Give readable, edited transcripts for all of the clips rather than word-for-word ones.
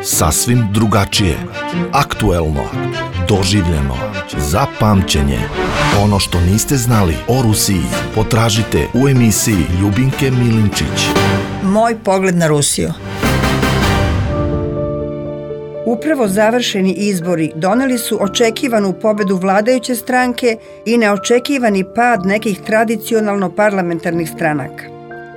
Sasvim drugačije, aktuelno, doživljeno, za pamćenje. Ono što niste znali o Rusiji potražite u emisiji Ljubinke Milinčić. Moj pogled na Rusiju. Upravo završeni izbori doneli su očekivanu pobedu vladajuće stranke i neočekivani pad nekih tradicionalno parlamentarnih stranaka.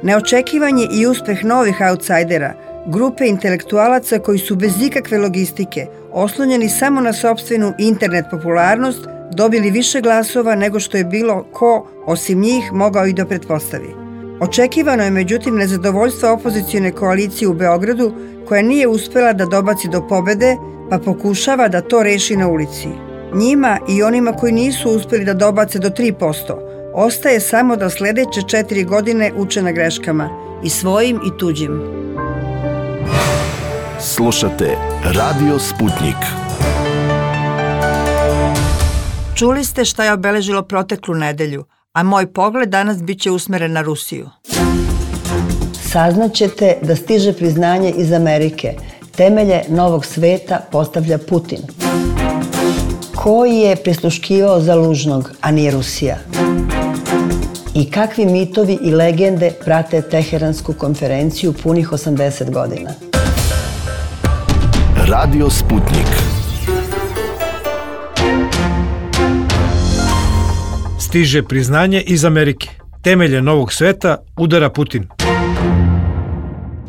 Neočekivan je i uspeh novih autsajdera, grupe intelektualaca koji su bez ikakve logistike, oslonjeni samo na sopstvenu internet popularnost, dobili više glasova nego što je bilo ko, osim njih, mogao i da pretpostavi. Očekivano je međutim nezadovoljstvo opozicione koalicije u Beogradu, koja nije uspela da dobaci do pobede, pa pokušava da to reši na ulici. Njima i onima koji nisu uspeli da dobace do 3%, ostaje samo da sledeće 4 godine uče na greškama, i svojim i tuđim. Slušate Radio Sputnik. Čuli ste šta je obeležilo proteklu nedelju, a moj pogled danas biće usmeren na Rusiju. Saznaćete da stiže priznanje iz Amerike. Temelje novog sveta postavlja Putin. Ko je prisluškivao Zalužnog, a nije Rusija? I kakvi mitovi i legende prate Teheransku konferenciju punih 80 godina? Radio Sputnik. Stiže priznanje iz Amerike. Temelje novog sveta udara Putin.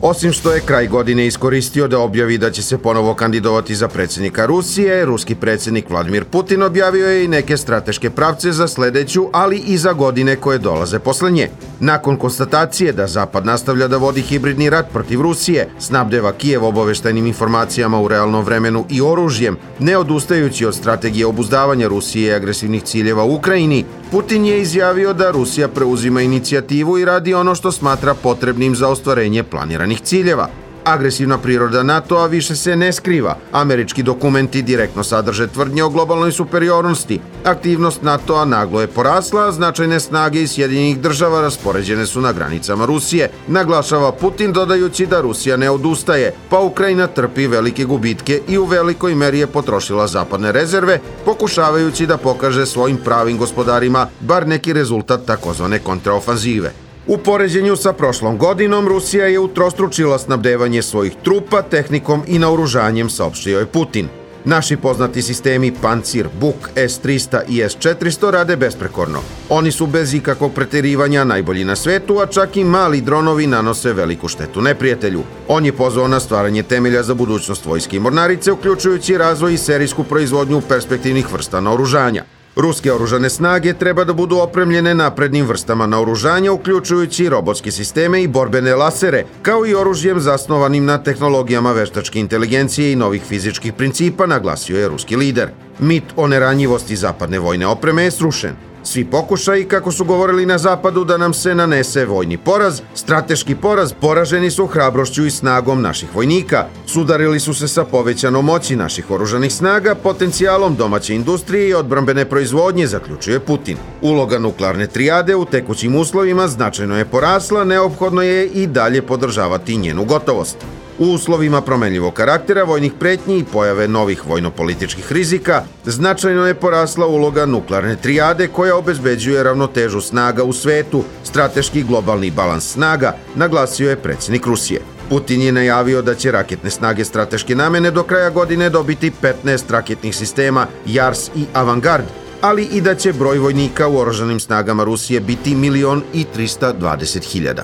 Osim što je kraj godine iskoristio da objavi da će se ponovo kandidovati za predsjednika Rusije, ruski predsjednik Vladimir Putin objavio je i neke strateške pravce za sledeću, ali i za godine koje dolaze posle nje. Nakon konstatacije da Zapad nastavlja da vodi hibridni rat protiv Rusije, snabdeva Kijev obaveštajnim informacijama u realnom vremenu i oružjem, ne odustajući od strategije obuzdavanja Rusije i agresivnih ciljeva u Ukrajini, Putin je izjavio da Rusija preuzima inicijativu i radi ono što smatra potrebnim za ostvarenje planiranih ciljeva. Agresivna priroda NATO-a više se ne skriva. Američki dokumenti direktno sadrže tvrdnje o globalnoj superiornosti. Aktivnost NATO-a naglo je porasla, a značajne snage iz Sjedinjenih država raspoređene su na granicama Rusije, naglašava Putin dodajući da Rusija ne odustaje, pa Ukrajina trpi velike gubitke i u velikoj meri je potrošila zapadne rezerve, pokušavajući da pokaže svojim pravim gospodarima bar neki rezultat takozvane kontraofanzive. U poređenju sa prošlom godinom, Rusija je utrostručila snabdevanje svojih trupa, tehnikom i naoružanjem, saopštio je Putin. Naši poznati sistemi Pancir, Buk, S-300 i S-400 rade besprekorno. Oni su bez ikakvog preterivanja najbolji na svetu, a čak i mali dronovi nanose veliku štetu neprijatelju. On je pozvao na stvaranje temelja za budućnost vojske i mornarice, uključujući razvoj i serijsku proizvodnju perspektivnih vrsta naoružanja. Ruske oružane snage treba da budu opremljene naprednim vrstama naoružanja, uključujući robotske sisteme i borbene lasere, kao i oružjem zasnovanim na tehnologijama veštačke inteligencije i novih fizičkih principa, naglasio je ruski lider. Mit o neranjivosti zapadne vojne opreme je srušen. Svi pokušaji, kako su govorili na zapadu, da nam se nanese vojni poraz, strateški poraz, poraženi su hrabrošću i snagom naših vojnika. Sudarili su se sa povećanom moći naših oružanih snaga, potencijalom domaće industrije i odbrambene proizvodnje, zaključuje Putin. Uloga nuklearne trijade u tekućim uslovima značajno je porasla, neophodno je i dalje podržavati njenu gotovost. U uslovima promenljivog karaktera, vojnih pretnji i pojave novih vojno-političkih rizika, značajno je porasla uloga nuklearne trijade koja obezbeđuje ravnotežu snaga u svetu, strateški globalni balans snaga, naglasio je predsjednik Rusije. Putin je najavio da će raketne snage strateške namene do kraja godine dobiti 15 raketnih sistema JARS i Avangard, ali i da će broj vojnika u oružanim snagama Rusije biti 1.320.000.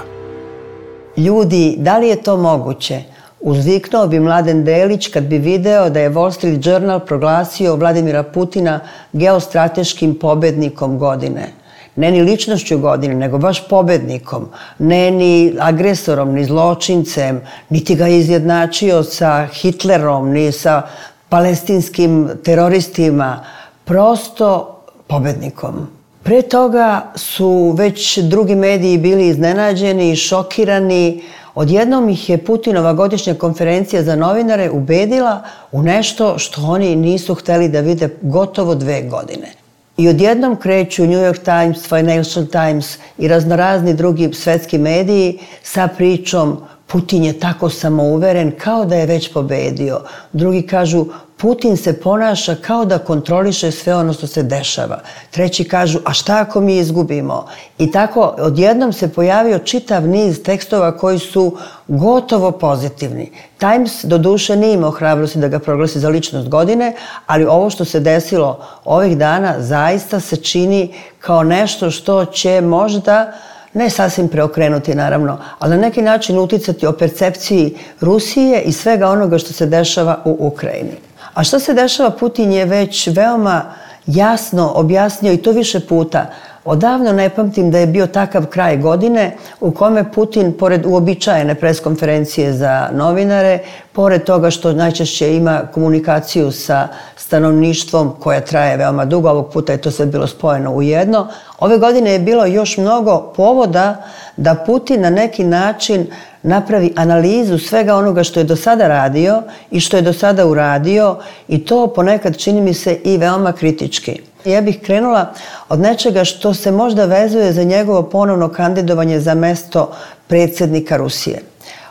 Ljudi, da li je to moguće? Uzviknuo bi Mladen Delić kad bi video da je Wall Street Journal proglasio Vladimira Putina geostrateškim pobednikom godine. Ne ni ličnošću godine, nego baš pobednikom. Ne ni agresorom, ni zločincem, niti ga izjednačio sa Hitlerom, ni sa palestinskim teroristima. Prosto pobednikom. Pre toga su već drugi mediji bili iznenađeni i šokirani. Odjednom ih je Putinova godišnja konferencija za novinare ubedila u nešto što oni nisu hteli da vide gotovo 2 godine. I odjednom kreću New York Times, Financial Times i raznorazni drugi svetski mediji sa pričom Putin je tako samouveren kao da je već pobedio. Drugi kažu, Putin se ponaša kao da kontroliše sve ono što se dešava. Treći kažu, a šta ako mi izgubimo? I tako odjednom se pojavio čitav niz tekstova koji su gotovo pozitivni. Times doduše nije imao hrabrosti da ga proglasi za ličnost godine, ali ovo što se desilo ovih dana zaista se čini kao nešto što će možda ne sasvim preokrenuti, naravno, ali na neki način uticati o percepciji Rusije i svega onoga što se dešava u Ukrajini. A što se dešava, Putin je već veoma jasno objasnio i to više puta. Odavno ne pamtim da je bio takav kraj godine u kome Putin, pored uobičajene preskonferencije za novinare, pored toga što najčešće ima komunikaciju sa stanovništvom koja traje veoma dugo, ovog puta je to sve bilo spojeno u jedno, ove godine je bilo još mnogo povoda da Putin na neki način napravi analizu svega onoga što je do sada radio i što je do sada uradio i to ponekad čini mi se i veoma kritički. Ja bih krenula od nečega što se možda vezuje za njegovo ponovno kandidovanje za mesto predsjednika Rusije.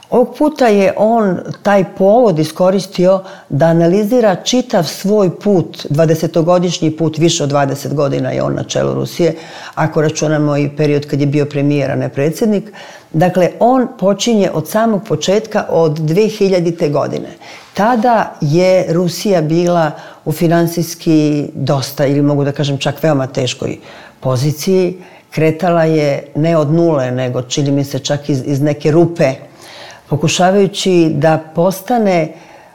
Ovog puta je on taj povod iskoristio da analizira čitav svoj put, 20-godišnji put, više od 20 godina je on na čelu Rusije, ako računamo i period kad je bio premijer, a ne predsjednik. Dakle, on počinje od samog početka, od 2000. godine. Tada je Rusija bila u finansijski dosta, ili mogu da kažem čak veoma teškoj poziciji. Kretala je ne od nule, nego čini mi se čak iz neke rupe, pokušavajući da postane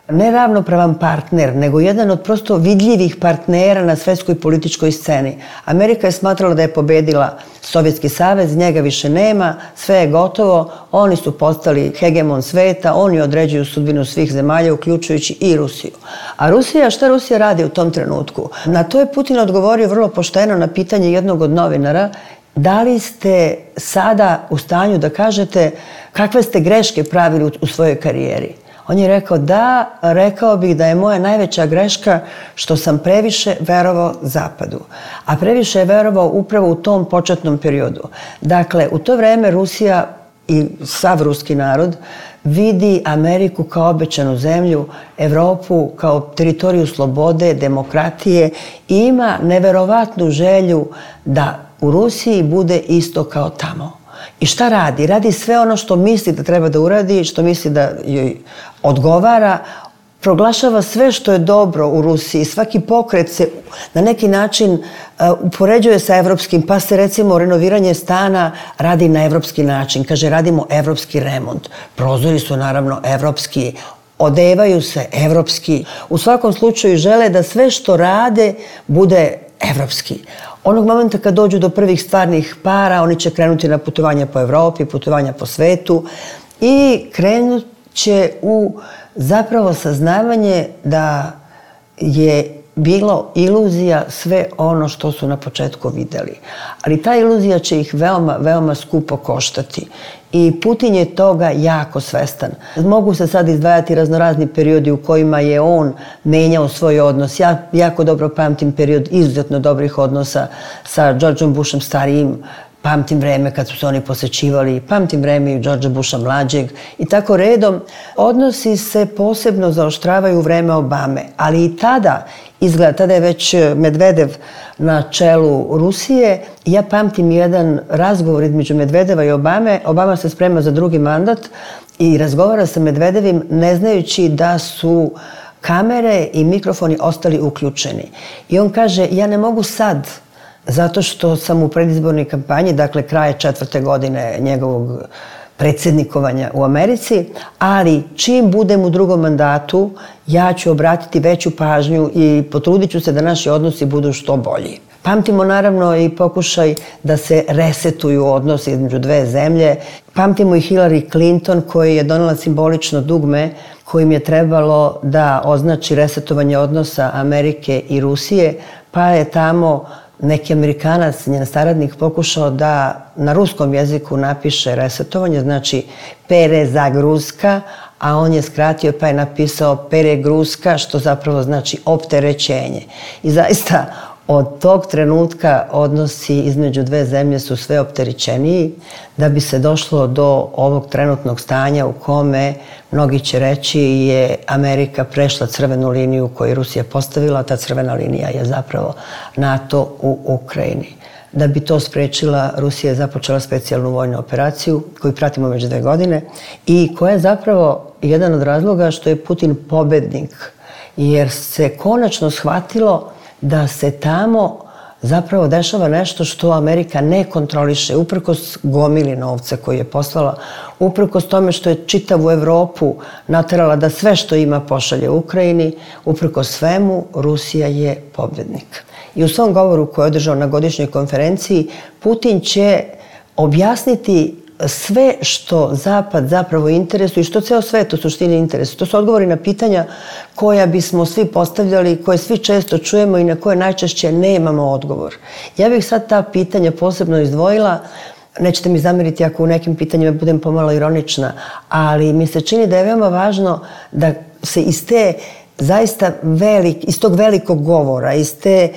ne ravnopravan partner, nego jedan od prosto vidljivih partnera na svetskoj političkoj sceni. Amerika je smatrala da je pobedila Sovjetski savez, njega više nema, sve je gotovo, oni su postali hegemon sveta, oni određuju sudbinu svih zemalja, uključujući i Rusiju. A Rusija, šta Rusija radi u tom trenutku? Na to je Putin odgovorio vrlo pošteno na pitanje jednog od novinara: da li ste sada u stanju da kažete kakve ste greške pravili u svojoj karijeri? On je rekao, da, rekao bih da je moja najveća greška što sam previše verovao Zapadu. A previše je verovao upravo u tom početnom periodu. Dakle, u to vreme Rusija i sav ruski narod vidi Ameriku kao obećanu zemlju, Evropu kao teritoriju slobode, demokratije i ima neverovatnu želju da u Rusiji bude isto kao tamo. I šta radi? Radi sve ono što misli da treba da uradi, što misli da joj odgovara, proglašava sve što je dobro u Rusiji. Svaki pokret se na neki način upoređuje sa evropskim, pa se recimo renoviranje stana radi na evropski način. Kaže, radimo evropski remont. Prozori su naravno evropski, odevaju se evropski. U svakom slučaju žele da sve što rade bude evropski. Onog momenta kad dođu do prvih stvarnih para, oni će krenuti na putovanja po Evropi, putovanja po svetu i krenut će u zapravo saznavanje da je bilo iluzija sve ono što su na početku videli. Ali ta iluzija će ih veoma, veoma skupo koštati. I Putin je toga jako svestan. Mogu se sad izdvajati raznorazni periodi u kojima je on menjao svoj odnos. Ja jako dobro pamtim period izuzetno dobrih odnosa sa Georgeom Bushom starijim, pamtim vreme kad su se oni posećivali, pamtim vreme i Georgea Busha mlađeg i tako redom. Odnosi se posebno zaoštravaju u vreme Obame, ali i tada izgleda, tada je već Medvedev na čelu Rusije. Ja pamtim jedan razgovor između Medvedeva i Obame. Obama se sprema za drugi mandat i razgovara sa Medvedevim ne znajući da su kamere i mikrofoni ostali uključeni. I on kaže, ja ne mogu sad, zato što sam u predizbornoj kampanji, dakle kraje 4. godine njegovog predsjednikovanja u Americi, ali čim budem u drugom mandatu, ja ću obratiti veću pažnju i potrudit ću se da naši odnosi budu što bolji. Pamtimo naravno i pokušaj da se resetuju odnosi između dve zemlje. Pamtimo i Hillary Clinton koji je donela simbolično dugme kojim je trebalo da označi resetovanje odnosa Amerike i Rusije, pa je tamo neki Amerikanac, njen saradnik, pokušao da na ruskom jeziku napiše resetovanje, znači perezagruska, a on je skratio pa je napisao peregruska, što zapravo znači opterećenje. I zaista Od tog trenutka odnosi između dve zemlje su sve opterećeniji, da bi se došlo do ovog trenutnog stanja u kome, mnogi će reći, je Amerika prešla crvenu liniju koju je Rusija postavila, ta crvena linija je zapravo NATO u Ukrajini. Da bi to sprečila, Rusija je započela specijalnu vojnu operaciju koju pratimo već 2 godine i koja je zapravo jedan od razloga što je Putin pobednik, jer se konačno shvatilo da se tamo zapravo dešava nešto što Amerika ne kontroliše, uprkos gomili novca koji je poslala, uprkos tome što je čitavu Evropu naterala da sve što ima pošalje Ukrajini, uprkos svemu Rusija je pobednik. I u svom govoru koji je održao na godišnjoj konferenciji, Putin će objasniti sve što Zapad zapravo interesuje i što ceo svet u suštini interesuje. To su odgovori na pitanja koja bismo svi postavljali, koje svi često čujemo i na koje najčešće nemamo odgovor. Ja bih sad ta pitanja posebno izdvojila. Nećete mi zameriti ako u nekim pitanjima budem pomalo ironična, ali mi se čini da je veoma važno da se iz te zaista iz tog velikog govora, iz te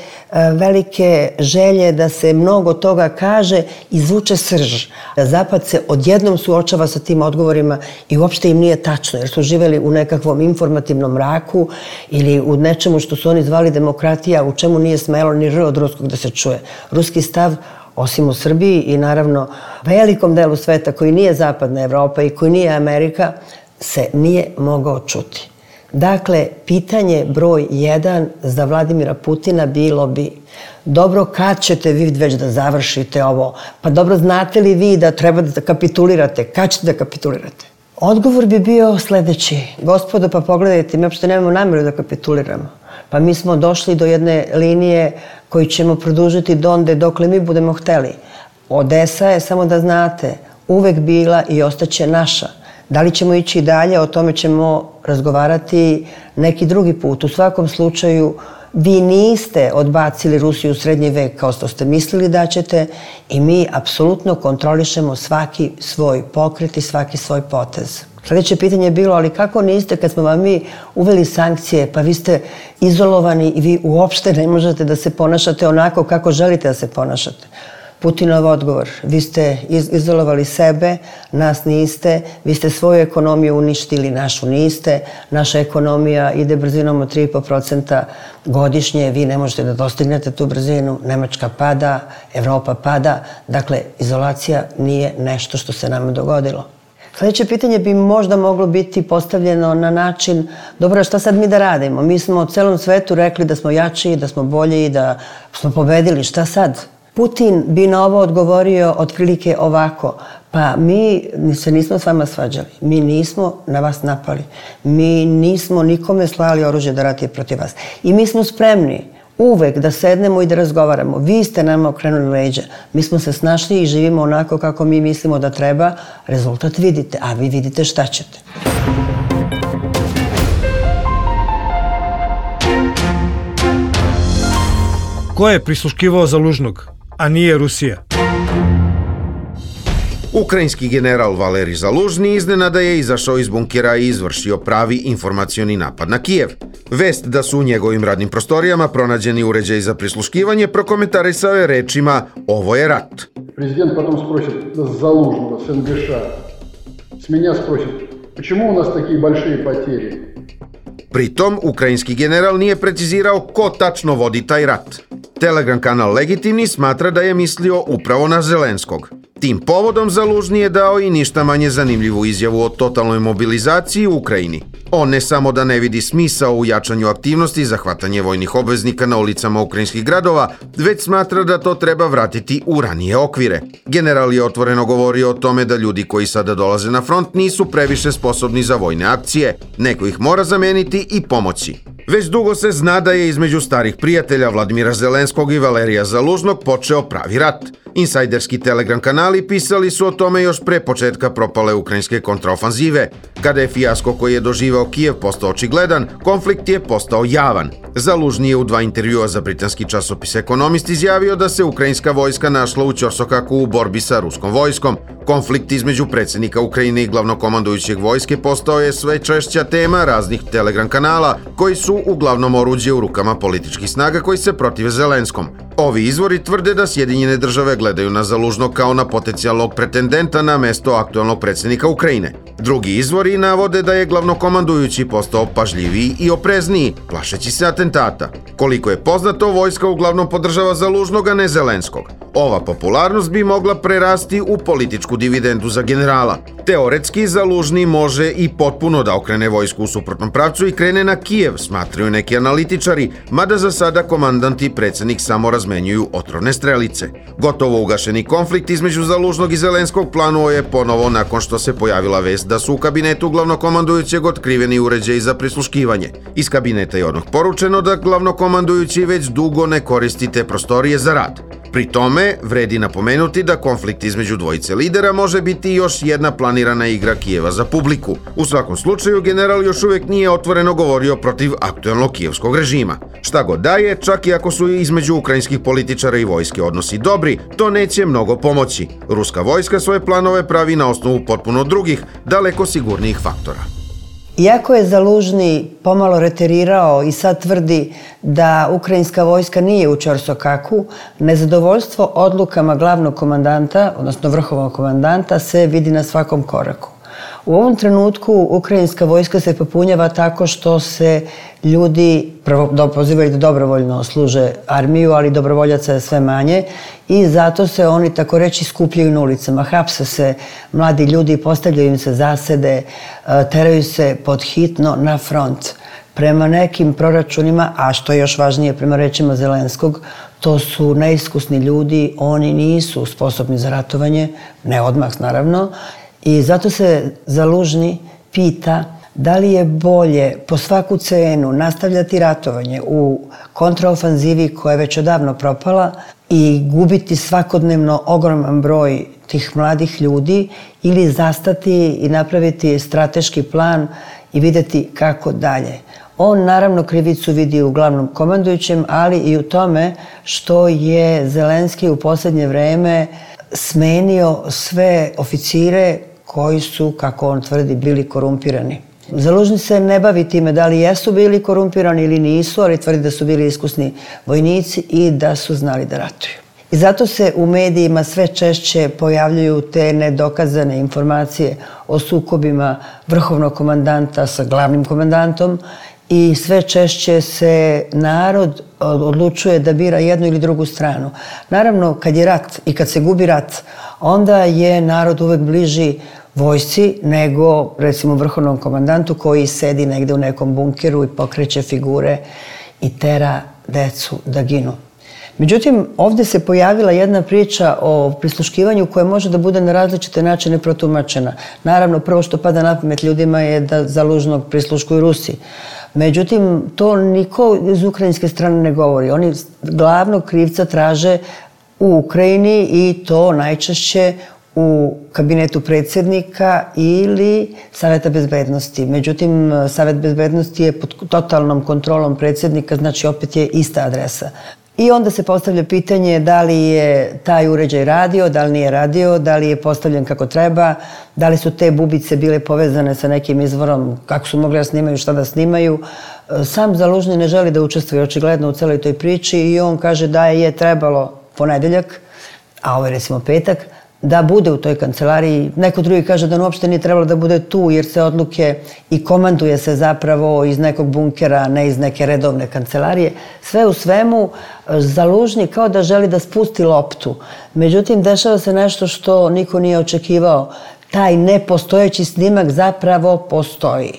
velike želje da se mnogo toga kaže, izvuče srž. Zapad se odjednom suočava sa tim odgovorima i uopšte im nije tačno, jer su živeli u nekakvom informativnom mraku ili u nečemu što su oni zvali demokratija, u čemu nije smelo ni R od ruskog da se čuje. Ruski stav, osim u Srbiji i naravno velikom delu sveta koji nije zapadna Evropa i koji nije Amerika, se nije mogao čuti. Dakle, pitanje broj 1 za Vladimira Putina bilo bi: dobro, kad ćete vi već da završite ovo? Pa dobro, znate li vi da treba da kapitulirate? Kad ćete da kapitulirate? Odgovor bi bio sledeći: gospodo, pa pogledajte, mi uopšte nemamo nameru da kapituliramo. Pa mi smo došli do jedne linije koju ćemo produžiti donde dokle mi budemo hteli. Odesa je, samo da znate, uvek bila i ostaće naša. Da li ćemo ići dalje, o tome ćemo razgovarati neki drugi put. U svakom slučaju, vi niste odbacili Rusiju u srednji vek kao što ste mislili da ćete i mi apsolutno kontrolišemo svaki svoj pokret i svaki svoj potez. Sljedeće pitanje je bilo: ali kako niste kad smo vam mi uveli sankcije, pa vi ste izolovani i vi uopšte ne možete da se ponašate onako kako želite da se ponašate? Putinov odgovor: vi ste izolovali sebe, nas niste, vi ste svoju ekonomiju uništili, našu niste, naša ekonomija ide brzinom od 3,5% godišnje, vi ne možete da dostignete tu brzinu, Nemačka pada, Evropa pada, dakle, izolacija nije nešto što se nama dogodilo. Sljedeće pitanje bi možda moglo biti postavljeno na način: dobro, šta sad mi da radimo? Mi smo celom svetu rekli da smo jači, da smo bolji, da smo pobedili, šta sad? Putin bi na ovo odgovorio otprilike ovako: pa mi se nismo s vama svađali, mi nismo na vas napali, mi nismo nikome slali oružje da ratuje protiv vas i mi smo spremni uvek da sednemo i da razgovaramo. Vi ste nama okrenuli leđa, mi smo se snašli i živimo onako kako mi mislimo da treba, rezultat vidite, a vi vidite šta ćete. Ko je prisluškivao Zalužnog, a nije Rusija? Ukrajinski general Valerij Zalužni iznenada je izašao iz bunkera i izvršio pravi informacioni napad na Kijev. Vest da su u njegovim radnim prostorijama pronađeni uređaji za prisluškivanje prokomentarisao je rečima: ovo je rat. Prezident potom sprosit Zalužnoga s НГШ, s меня sprosit, почему у нас такие большие потери? Pritom, ukrajinski general nije precizirao ko tačno vodi taj rat. Telegram kanal Legitimni smatra da je mislio upravo na Zelenskog. Tim povodom Zalužni je dao i ništa manje zanimljivu izjavu o totalnoj mobilizaciji u Ukrajini. On ne samo da ne vidi smisao u jačanju aktivnosti za hvatanje vojnih obveznika na ulicama ukrajinskih gradova, već smatra da to treba vratiti u ranije okvire. General je otvoreno govorio o tome da ljudi koji sada dolaze na front nisu previše sposobni za vojne akcije. Neko ih mora zameniti i pomoći. Već dugo se zna da je između starih prijatelja Vladimira Zelenskog i Valerija Zalužnog počeo pravi rat. Insajderski Telegram kanali pisali su o tome još pre početka propale ukrajinske kontraofanzive. Kada je fijasko koji je doživao Kijev postao očigledan, konflikt je postao javan. Zalužni je u 2 intervjua za britanski časopis Ekonomist izjavio da se ukrajinska vojska našla u Ćorsokaku u borbi sa ruskom vojskom. Konflikt između predsjednika Ukrajine i glavnokomandujućeg vojske postao je sve češća tema raznih Telegram kanala, koji su uglavnom oruđe u rukama političkih snaga koji se protive Zelenskom. Ovi izvori tvrde da Sjedinjene države gledaju na Zalužnog kao na potencijalnog pretendenta na mesto aktualnog predsjednika Ukrajine. Drugi izvori navode da je glavnokomandujući postao pažljiviji i oprezniji, plašeći se atentata. Koliko je poznato, vojska uglavnom podržava Zalužnog, a ne Zelenskog. Ova popularnost bi mogla prerasti u političku dividendu za generala. Teoretski, Zalužni može i potpuno da okrene vojsku u suprotnom pravcu i krene na Kijev, smatraju neki analitičari, mada za sada komandant i predsjednik samo razmenjuju otrovne strelice. Gotovo ugašeni konflikt između Zalužnog i Zelenskog planuo je ponovo nakon što se pojavila vest da su u kabinetu glavnokomandujućeg otkriveni uređaji za prisluškivanje. Iz kabineta je odmah poručeno da glavnokomandujući već dugo ne koristi te prostorije za rad. Pri tome, vredi napomenuti da konflikt između dvojice lidera može biti još jedna planirana igra Kijeva za publiku. U svakom slučaju, general još uvijek nije otvoreno govorio protiv aktualnog kijevskog režima. Šta god da je, čak i ako su između ukrajinskih političara i vojske odnosi dobri, to neće mnogo pomoći. Ruska vojska svoje planove pravi na osnovu potpuno drugih, daleko sigurnijih faktora. Iako je Zalužni pomalo reterirao i sad tvrdi da ukrajinska vojska nije u Ćorsokaku, nezadovoljstvo odlukama glavnog komandanta, odnosno vrhovnog komandanta, se vidi na svakom koraku. U ovom trenutku ukrajinska vojska se popunjava tako što se ljudi prvo pozivaju da dobrovoljno služe armiju, ali dobrovoljaca je sve manje i zato se oni tako reći skupljaju na ulicama. Hapse se mladi ljudi, postavljaju im se zasede, teraju se pod hitno na front. Prema nekim proračunima, a što je još važnije prema rečima Zelenskog, to su neiskusni ljudi, oni nisu sposobni za ratovanje, ne odmah naravno, i zato se Zalužni pita da li je bolje po svaku cenu nastavljati ratovanje u kontraofanzivi koja je već odavno propala i gubiti svakodnevno ogroman broj tih mladih ljudi ili zastati i napraviti strateški plan i vidjeti kako dalje. On naravno krivicu vidi u glavnom komandujućem, ali i u tome što je Zelenski u posljednje vreme smenio sve oficire koji su, kako on tvrdi, bili korumpirani. Zalužni se ne bavi time da li jesu bili korumpirani ili nisu, ali tvrdi da su bili iskusni vojnici i da su znali da ratuju. I zato se u medijima sve češće pojavljuju te nedokazane informacije o sukobima vrhovnog komandanta sa glavnim komandantom i sve češće se narod odlučuje da bira jednu ili drugu stranu. Naravno, kad je rat i kad se gubi rat, onda je narod uvek bliži vojsci nego, recimo, vrhovnom komandantu koji sedi negde u nekom bunkeru i pokreće figure i tera decu da ginu. Međutim, ovdje se pojavila jedna priča o prisluškivanju koja može da bude na različite načine protumačena. Naravno, prvo što pada na pamet ljudima je da Zalužnog prisluškuju Rusi. Međutim, to niko iz ukrajinske strane ne govori. Oni glavnog krivca traže u Ukrajini i to najčešće u kabinetu predsjednika ili Saveta bezbednosti. Međutim, Savet bezbednosti je pod totalnom kontrolom predsjednika, znači opet je ista adresa. I onda se postavlja pitanje da li je taj uređaj radio, da li nije radio, da li je postavljen kako treba, da li su te bubice bile povezane sa nekim izvorom, kako su mogli da snimaju, šta da snimaju. Sam Zalužni ne želi da učestvuje očigledno u celoj toj priči i on kaže da je trebalo ponedeljak, a ovo je recimo petak, da bude u toj kancelariji. Neko drugi kaže da on uopšte nije trebalo da bude tu jer se odluke i komanduje se zapravo iz nekog bunkera, ne iz neke redovne kancelarije. Sve u svemu, Zalužni kao da želi da spusti loptu. Međutim, dešava se nešto što niko nije očekivao. Taj nepostojeći snimak zapravo postoji.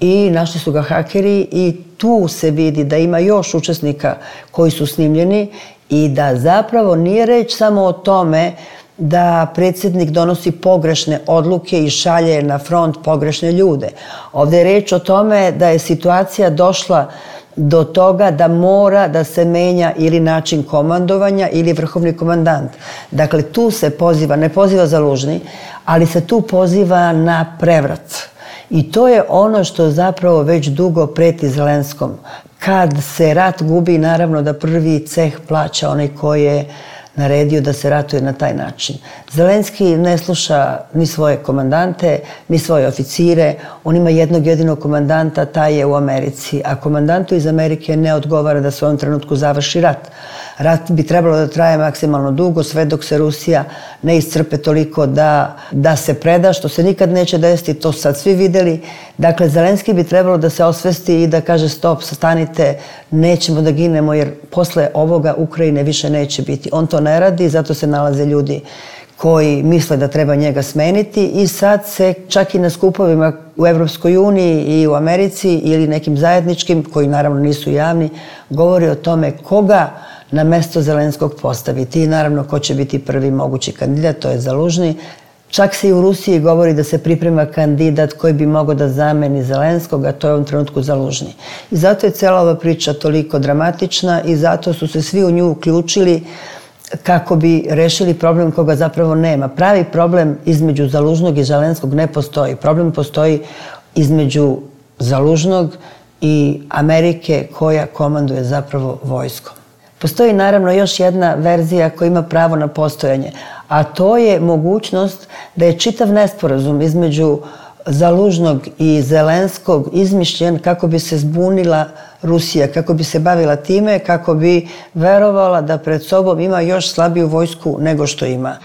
I našli su ga hakeri i tu se vidi da ima još učesnika koji su snimljeni i da zapravo nije reč samo o tome da predsjednik donosi pogrešne odluke i šalje na front pogrešne ljude. Ovdje je reč o tome da je situacija došla do toga da mora da se menja ili način komandovanja ili vrhovni komandant. Dakle, tu se poziva, ne poziva Zalužni, ali se tu poziva na prevrat. I to je ono što zapravo već dugo preti Zelenskom. Kad se rat gubi, naravno da prvi ceh plaća onaj koji je naredio da se ratuje na taj način. Zelenski ne sluša ni svoje komandante, ni svoje oficire. On ima jednog jedinog komandanta, taj je u Americi. A komandantu iz Amerike ne odgovara da se u ovom trenutku završi rat. Rat bi trebalo da traje maksimalno dugo, sve dok se Rusija ne iscrpe toliko da se preda, što se nikad neće desiti, to sad svi videli. Dakle, Zelenski bi trebalo da se osvesti i da kaže stop, stanite, nećemo da ginemo, jer posle ovoga Ukrajine više neće biti. On to ne radi, zato se nalaze ljudi koji misle da treba njega smeniti i sad se čak i na skupovima u Evropskoj uniji i u Americi ili nekim zajedničkim, koji naravno nisu javni, govori o tome koga na mesto Zelenskog postaviti i naravno ko će biti prvi mogući kandidat, to je Zalužni. Čak se i u Rusiji govori da se priprema kandidat koji bi mogao da zameni Zelenskog, a to je u ovom trenutku Zalužni. I zato je cela ova priča toliko dramatična i zato su se svi u nju uključili kako bi rešili problem koga zapravo nema. Pravi problem između Zalužnog i Zelenskog ne postoji. Problem postoji između Zalužnog i Amerike koja komanduje zapravo vojskom. Postoji naravno još jedna verzija koja ima pravo na postojanje, a to je mogućnost da je čitav nesporazum između Zalužnog i Zelenskog izmišljen kako bi se zbunila Rusija, kako bi se bavila time, kako bi verovala da pred sobom ima još slabiju vojsku nego što ima.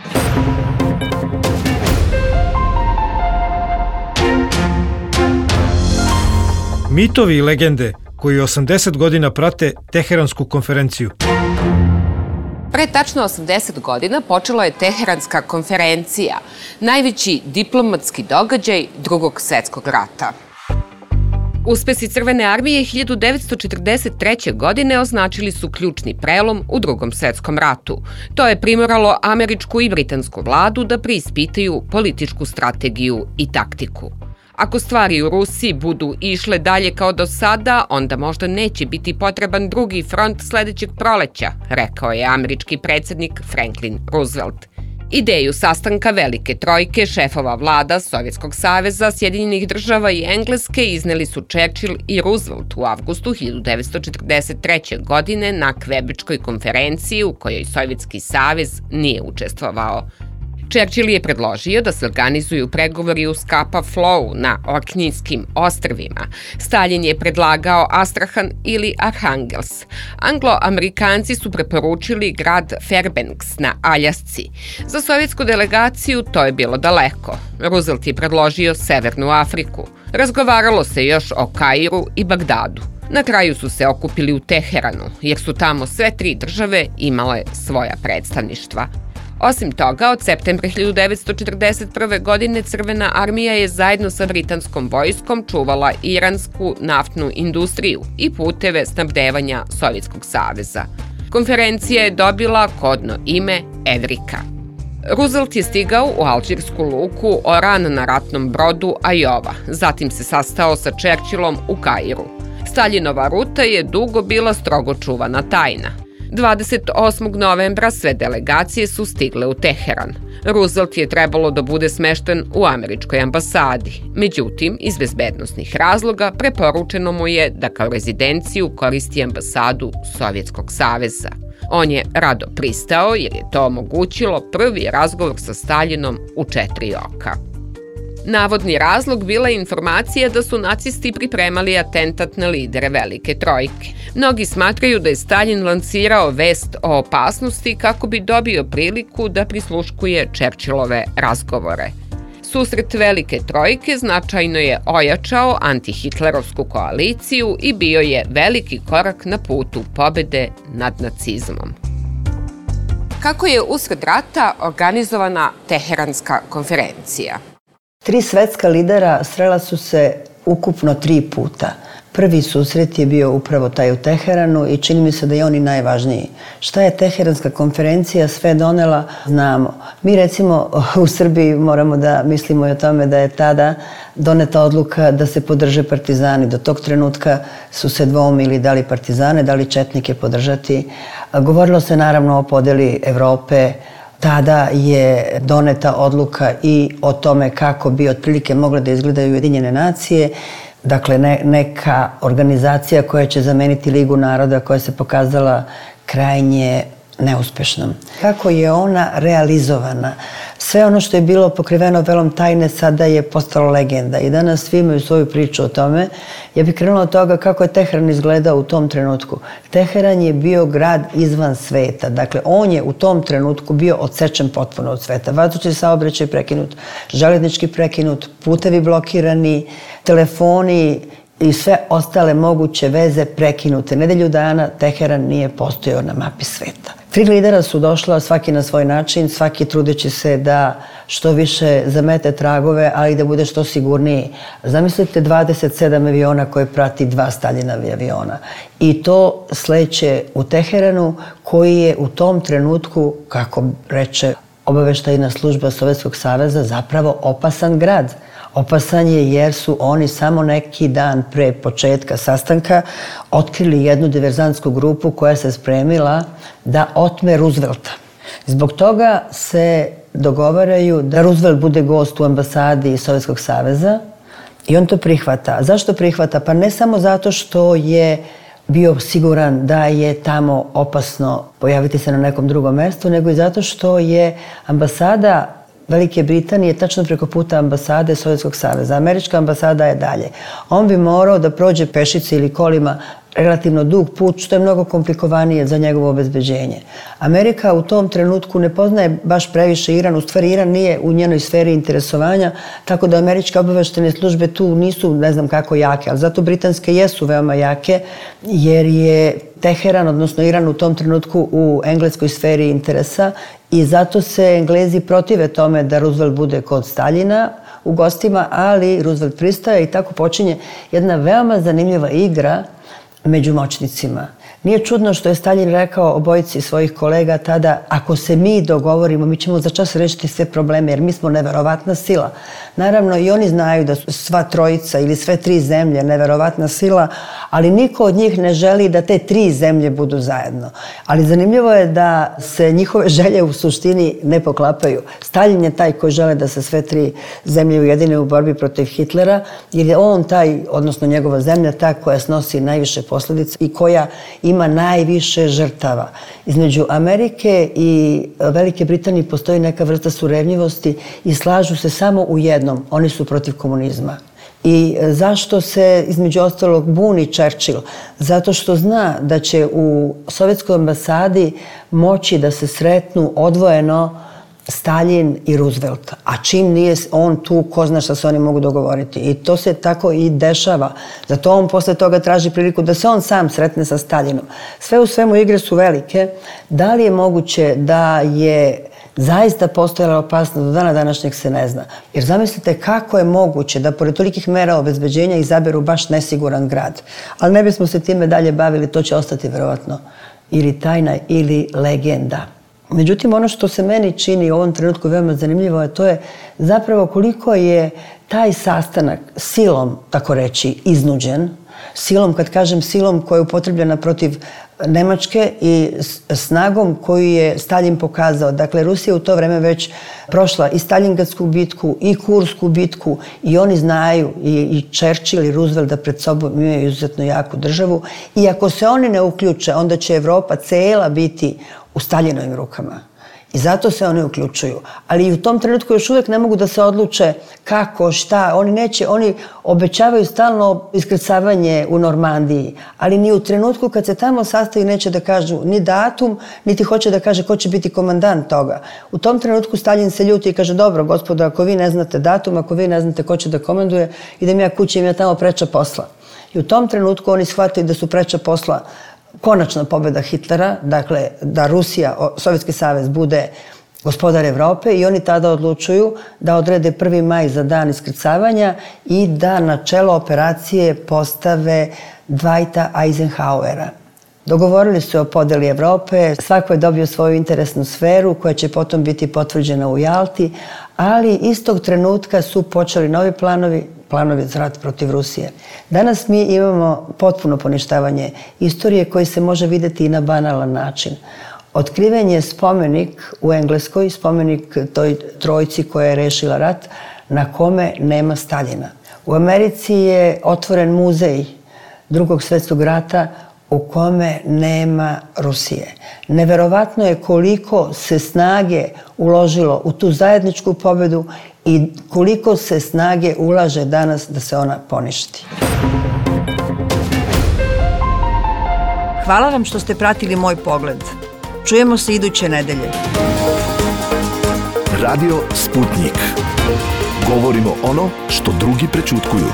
Mitovi i legende koji 80 godina prate Teheransku konferenciju. Pre tačno 80 godina počela je Teheranska konferencija, najveći diplomatski događaj Drugog svetskog rata. Uspesi Crvene armije 1943. godine označili su ključni prelom u Drugom svetskom ratu. To je primoralo američku i britansku vladu da preispitaju političku strategiju i taktiku. Ako stvari u Rusiji budu išle dalje kao do sada, onda možda neće biti potreban drugi front sledećeg proleća, rekao je američki predsjednik Franklin Roosevelt. Ideju sastanka Velike trojke šefova vlada Sovjetskog saveza, Sjedinjenih država i Engleske izneli su Churchill i Roosevelt u avgustu 1943. godine na Kvebečkoj konferenciji u kojoj Sovjetski savez nije učestvovao. Churchill je predložio da se organizuju pregovori u Scapa Flow na Orknijskim ostrvima. Stalin je predlagao Astrahan ili Arhangels. Anglo-Amerikanci su preporučili grad Fairbanks na Aljasci. Za sovjetsku delegaciju to je bilo daleko. Roosevelt je predložio Severnu Afriku. Razgovaralo se još o Kairu i Bagdadu. Na kraju su se okupili u Teheranu, jer su tamo sve tri države imale svoja predstavništva. Osim toga, od septembra 1941. godine Crvena armija je zajedno sa britanskom vojskom čuvala iransku naftnu industriju i puteve snabdevanja Sovjetskog saveza. Konferencija je dobila kodno ime Evrika. Roosevelt je stigao u alžirsku luku Oran na ratnom brodu Ajova, zatim se sastao sa Churchillom u Kairu. Staljinova ruta je dugo bila strogo čuvana tajna. 28. novembra sve delegacije su stigle u Teheran. Roosevelt je trebalo da bude smešten u američkoj ambasadi. Međutim, iz bezbednosnih razloga preporučeno mu je da kao rezidenciju koristi ambasadu Sovjetskog saveza. On je rado pristao jer je to omogućilo prvi razgovor sa Staljinom u 4 oka. Navodni razlog bila je informacija da su nacisti pripremali atentat na lidere Velike trojke. Mnogi smatraju da je Staljin lansirao vest o opasnosti kako bi dobio priliku da prisluškuje Churchillove razgovore. Susret Velike trojke značajno je ojačao antihitlerovsku koaliciju i bio je veliki korak na putu pobede nad nacizmom. Kako je usred rata organizovana Teheranska konferencija? 3 svetska lidera srela su se ukupno 3 puta. Prvi susret je bio upravo taj u Teheranu i čini mi se da je on i najvažniji. Šta je Teheranska konferencija sve donela, znamo. Mi recimo u Srbiji moramo da mislimo i o tome da je tada doneta odluka da se podrže partizani. Do tog trenutka su se dvoumili da li partizane, da li četnike podržati. Govorilo se naravno o podeli Evrope. Tada je doneta odluka i o tome kako bi otprilike mogle da izgledaju Ujedinjene nacije. Dakle, neka organizacija koja će zameniti Ligu naroda koja se pokazala krajnje neuspešnom. Kako je ona realizovana? Sve ono što je bilo pokriveno velom tajne sada je postalo legenda i danas svi imaju svoju priču o tome. Ja bih krenula od toga kako je Teheran izgledao u tom trenutku. Teheran je bio grad izvan sveta. Dakle, on je u tom trenutku bio odsečen potpuno od sveta. Vazdušni saobraćaj prekinut, železnički prekinut, putevi blokirani, telefoni i sve ostale moguće veze prekinute. Nedelju dana Teheran nije postojao na mapi sveta. Tri lidera su došla, svaki na svoj način, svaki trudeći se da što više zamete tragove, ali da bude što sigurniji. Zamislite 27 aviona koje prati 2 Staljinovi aviona. I to sleće u Teheranu, koji je u tom trenutku, kako reče obaveštajna služba Sovjetskog saveza, zapravo opasan grad. Opasan je jer su oni samo neki dan pre početka sastanka otkrili jednu diverzantsku grupu koja se spremila da otme Roosevelta. Zbog toga se dogovaraju da Roosevelt bude gost u ambasadi Sovjetskog saveza i on to prihvata. Zašto prihvata? Pa ne samo zato što je bio siguran da je tamo opasno pojaviti se na nekom drugom mestu, nego i zato što je ambasada Velike Britanije tačno preko puta ambasade Sovjetskog saveza. Američka ambasada je dalje. On bi morao da prođe pešice ili kolima relativno dug put, što je mnogo komplikovanije za njegovo obezbeđenje. Amerika u tom trenutku ne poznaje baš previše Iran, u stvari Iran nije u njenoj sferi interesovanja, tako da američke obaveštajne službe tu nisu ne znam kako jake, ali zato britanske jesu veoma jake, jer je Teheran, odnosno Iran u tom trenutku u engleskoj sferi interesa i zato se Englezi protive tome da Roosevelt bude kod Staljina u gostima, ali Roosevelt pristaje i tako počinje jedna veoma zanimljiva igra među moćnicima. Nije čudno što je Staljin rekao obojici svojih kolega tada, ako se mi dogovorimo, mi ćemo za čas rešiti sve probleme, jer mi smo neverovatna sila. Naravno, i oni znaju da su sva trojica ili sve 3 zemlje neverovatna sila, ali niko od njih ne želi da te 3 zemlje budu zajedno. Ali zanimljivo je da se njihove želje u suštini ne poklapaju. Staljin je taj koji žele da se sve 3 zemlje ujedine u borbi protiv Hitlera, jer je on taj, odnosno njegova zemlja, ta koja snosi najviše posledica i koja ima najviše žrtava. Između Amerike i Velike Britanije postoji neka vrsta surevnjivosti i slažu se samo u jednom, oni su protiv komunizma. I zašto se između ostalog buni Churchill? Zato što zna da će u sovjetskoj ambasadi moći da se sretnu odvojeno Staljin i Roosevelt, a čim nije on tu, ko zna šta se oni mogu dogovoriti. I to se tako i dešava. Zato on posle toga traži priliku da se on sam sretne sa Staljinom. Sve u svemu igre su velike. Da li je moguće da je zaista postojala opasnost, do dana današnjeg se ne zna. Jer zamislite kako je moguće da pored tolikih mera obezbeđenja izaberu baš nesiguran grad. Ali ne bismo se time dalje bavili, to će ostati verovatno ili tajna ili legenda. Međutim, ono što se meni čini u ovom trenutku veoma zanimljivo, a to je zapravo koliko je taj sastanak silom, tako reći, iznuđen. Silom, kad kažem silom, koja je upotrebljena protiv Nemačke i snagom koju je Staljin pokazao. Dakle, Rusija u to vreme već prošla i Staljingradsku bitku i Kursku bitku i oni znaju, i Churchill i Roosevelt, da pred sobom imaju izuzetno jaku državu. I ako se oni ne uključe, onda će Evropa cela biti u Staljinovim rukama. I zato se oni uključuju. Ali i u tom trenutku još uvijek ne mogu da se odluče kako, šta. Oni obećavaju stalno iskrcavanje u Normandiji, ali ni u trenutku kad se tamo sastaju neće da kažu ni datum, niti hoće da kaže ko će biti komandant toga. U tom trenutku Staljin se ljuti i kaže, dobro, gospodo, ako vi ne znate datum, ako vi ne znate ko će da komanduje, idem ja kući, im ja tamo preča posla. I u tom trenutku oni shvataju da su preča posla konačna pobjeda Hitlera, dakle da Rusija, Sovjetski savez, bude gospodar Evrope, i oni tada odlučuju da odrede 1. maj za dan iskrcavanja i da na čelo operacije postave Dwighta Eisenhowera. Dogovorili su o podeli Evrope, svako je dobio svoju interesnu sferu koja će potom biti potvrđena u Jalti, ali istog trenutka su počeli novi planovi za rat protiv Rusije. Danas mi imamo potpuno poništavanje istorije koji se može videti i na banalan način. Otkriven je spomenik u Engleskoj, spomenik toj trojci koja je rešila rat, na kome nema Staljina. U Americi je otvoren muzej Drugog svjetskog rata u kome nema Rusije. Neverovatno je koliko se snage uložilo u tu zajedničku pobedu i koliko se snage ulaže danas da se ona poništi. Hvala vam što ste pratili moj pogled. Čujemo se iduće nedelje. Radio Sputnik. Govorimo ono što drugi prećutkuju.